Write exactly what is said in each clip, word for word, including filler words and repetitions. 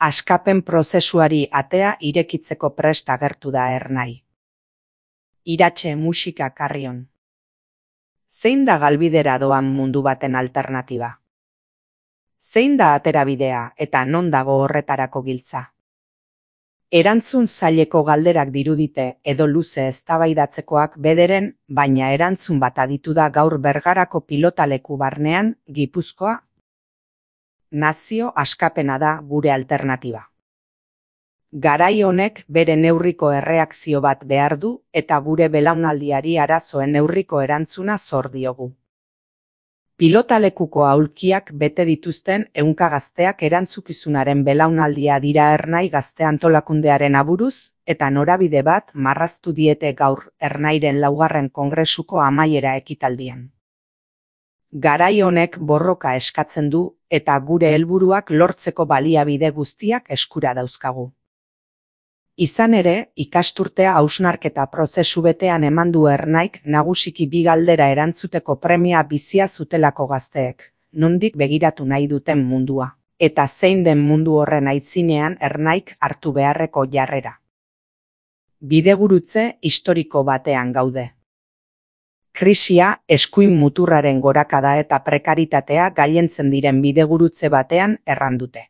Askapen prozesuari atea irekitzeko prest agertu da Ernai. Iratxe musika Carrion. Zein da galbidera doan mundu baten alternatiba? Zein da aterabidea eta non dago horretarako giltza? Erantzun zaileko galderak dirudite edo luze eztabaidatzekoak bederen, baina erantzun bat aditu da gaur Bergarako pilotaleku barnean, Gipuzkoa. Nazio askapena da gure alternatiba. Garai honek bere neurriko erreakzio bat behar du eta gure belaunaldiari arazoen neurriko erantzuna zor diogu. Pilotalekuko aulkiak bete dituzten ehunka gazteak erantzukizunaren belaunaldia dira Ernai gazte antolakundearen aburuz, eta norabide bat marraztu diete gaur Ernairen laugarren kongresuko amaiera ekitaldian. Garai honek borroka eskatzen du eta gure helburuak lortzeko baliabide guztiak eskura dauzkagu. Izan ere, ikasturtea hausnarketa prozesu betean eman du Ernaik nagusiki bi galdera erantzuteko premia bizia zutelako gazteek, nondik begiratu nahi duten mundua, eta zein den mundu horren aitzinean Ernaik hartu beharreko jarrera. Bidegurutze historiko batean gaude. Krisia, eskuin muturraren gorakada eta prekaritatea gailentzen diren bidegurutze batean errandute.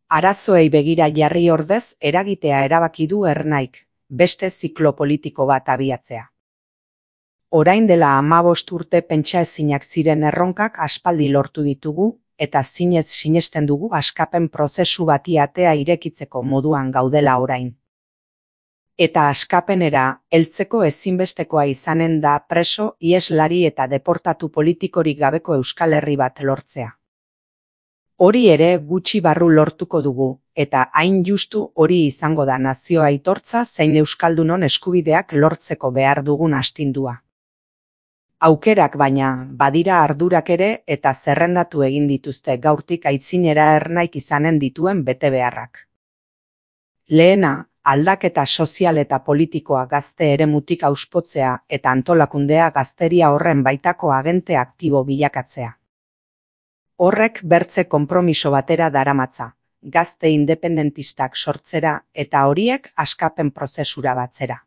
Arazoei begira jarri ordez eragitea erabaki du Ernaik, beste ziklo politiko bat abiatzea. Orain dela hamabost urte pentsaezinak ziren erronkak aspaldi lortu ditugu, eta zinez sinesten dugu askapen prozesu bati atea irekitzeko moduan gaudela orain. Eta askapenera, heltzeko ezinbestekoa izanen da preso, iheslari eta deportatu politikorik gabeko Euskal Herri bat lortzea. Hori ere gutxi barru lortuko dugu, eta hain justu hori izango da nazio aitortza zein euskaldunon eskubideak lortzeko behar dugun astindua. Aukerak baina, badira ardurak ere eta zerrendatu egin dituzte gaurtik aitzinera Ernaik izanen dituen betebeharrak. Lehena, aldaketa sozial eta politikoa gazte eremutik auspotzea eta antolakundea gazteria horren baitako agente aktibo bilakatzea. Horrek bertze konpromiso batera daramatza, gazte independentistak sortzera eta horiek askapen prozesura batzera.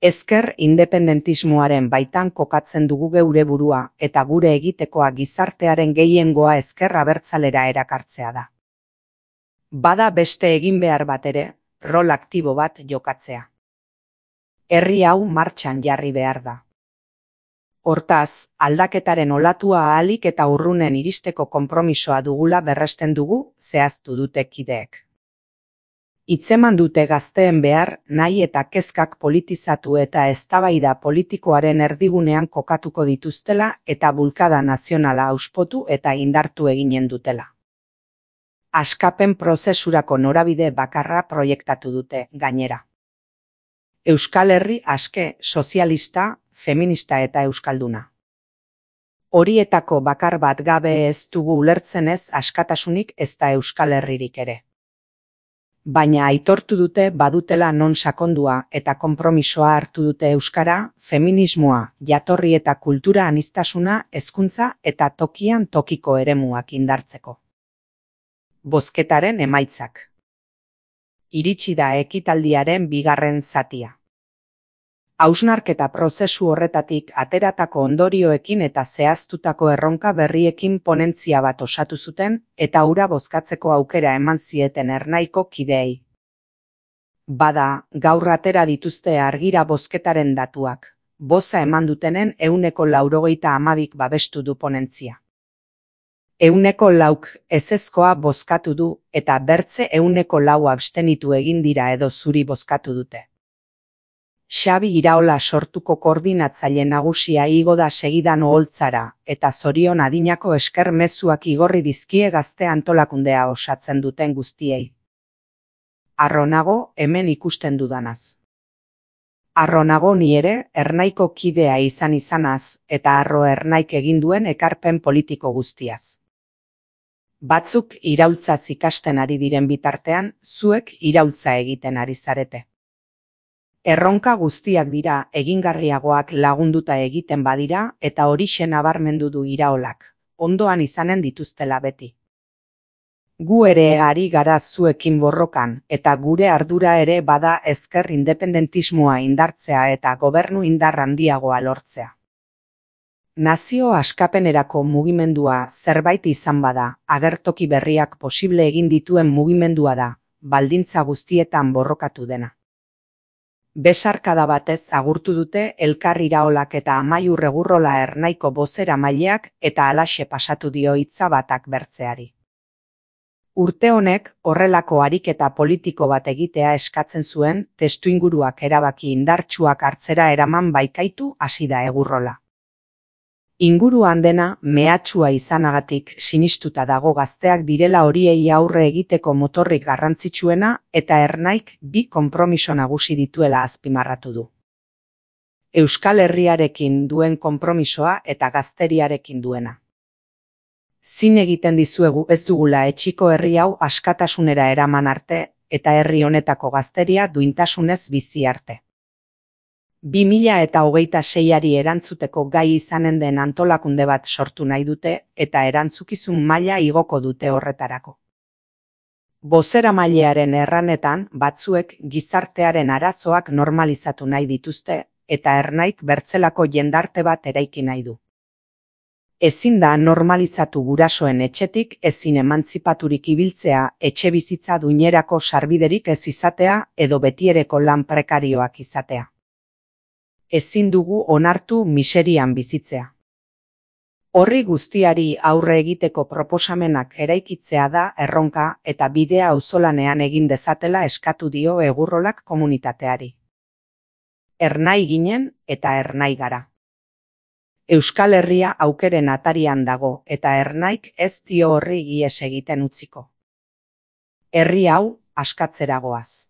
Ezker independentismoaren baitan kokatzen dugu geure burua eta gure egitekoa gizartearen gehiengoa ezker abertzalera erakartzea da. Bada beste egin behar bat ere, rol aktibo bat jokatzea. Herri hau martxan jarri behar da. Hortaz, aldaketaren olatua ahalik eta urrunen iristeko konpromisoa dugula berresten dugu, zehaztu dute kideek. Hitzeman dute gazteen behar, nahi eta kezkak politizatu eta eztabaida politikoaren erdigunean kokatuko dituztela eta bulkada nazionala auspotu eta indartu eginen dutela. Askapen prozesurako norabide bakarra proiektatu dute, gainera. Euskal Herri aske, sozialista, feminista eta euskalduna. Horietako bakar bat gabe ez dugu ulertzen ez askatasunik ez da Euskal Herririk ere. Baina aitortu dute badutela non sakondua eta konpromisoa hartu dute euskara, feminismoa, jatorri eta kultura aniztasuna, hezkuntza eta tokian tokiko eremuak indartzeko. Bozketaren emaitzak. Iritsi da ekitaldiaren bigarren zatia. Hausnarketa prozesu horretatik ateratako ondorioekin eta zehaztutako erronka berriekin ponentzia bat osatu zuten eta hura bozkatzeko aukera eman zieten Ernaiko kideei. Bada, gaur atera dituzte argira bozketaren datuak, boza eman dutenen ehuneko laurogeita hamabik babestu du ponentzia. Ehuneko lauk ezezkoa bozkatu du eta bertze ehuneko lau abstenitu egin dira edo zuri bozkatu dute. Xabi Iraola sortuko koordinatzaile nagusia igo da segidan oholtzara eta zorion adinako esker mezuak igorri dizkie gazte antolakundea osatzen duten guztiei. Harro nago hemen ikusten dudanaz. Harro nago ni ere Ernaiko kidea izan izanaz eta harro Ernaik egin duen ekarpen politiko guztiaz. Batzuk iraultzaz ikasten ari diren bitartean, zuek iraultza egiten ari zarete. Erronka guztiak dira egingarriagoak lagunduta egiten badira eta horixe nabarmendu du Iraolak, ondoan izanen dituztela beti. Gu ere ari gara zuekin borrokan, eta gure ardura ere bada ezker independentismoa indartzea eta gobernu indar handiagoa lortzea. Nazio askapenerako mugimendua zerbait izan bada, agertoki berriak posible egin dituen mugimendua da, baldintza guztietan borrokatu dena. Besarkada batez agurtu dute Elkar Iraolak eta Amaiur Egurrola Ernaiko bozeramaileak eta halaxe pasatu dio hitza batak bertzeari. Urte honek horrelako ariketa politiko bat egitea eskatzen zuen, testuinguruak erabaki indartsuak hartzera eraman baikaitu hasi da Egurrola. Inguruan dena mehatxua izanagatik sinistuta dago gazteak direla horiei aurre egiteko motorrik garrantzitsuena eta Ernaik bi konpromiso nagusi dituela azpimarratu du. Euskal Herriarekin duen konpromisoa eta gazteriarekin duena. Zin egiten dizuegu ez dugula etxiko herri hau askatasunera eraman arte eta herri honetako gazteria duintasunez bizi arte. bi mila eta hogeita seiari erantzuteko gai izanen den antolakunde bat sortu nahi dute eta erantzukizun maila igoko dute horretarako. Bozeramailearen erranetan batzuek gizartearen arazoak normalizatu nahi dituzte eta Ernaik bertzelako jendarte bat eraiki nahi du. Ezin da normalizatu gurasoen etxetik ezin emantzipaturik ibiltzea, etxe bizitza duinerako sarbiderik ez izatea edo betiereko lan prekarioak izatea. Ezin dugu onartu miserian bizitzea. Horri guztiari aurre egiteko proposamenak eraikitzea da erronka eta bidea auzolanean egin dezatela eskatu dio Egurrolak komunitateari. Ernai ginen eta Ernai gara. Euskal Herria aukeren atarian dago eta Ernaik ez dio horri ihes egiten utziko. Herri hau askatzera goaz.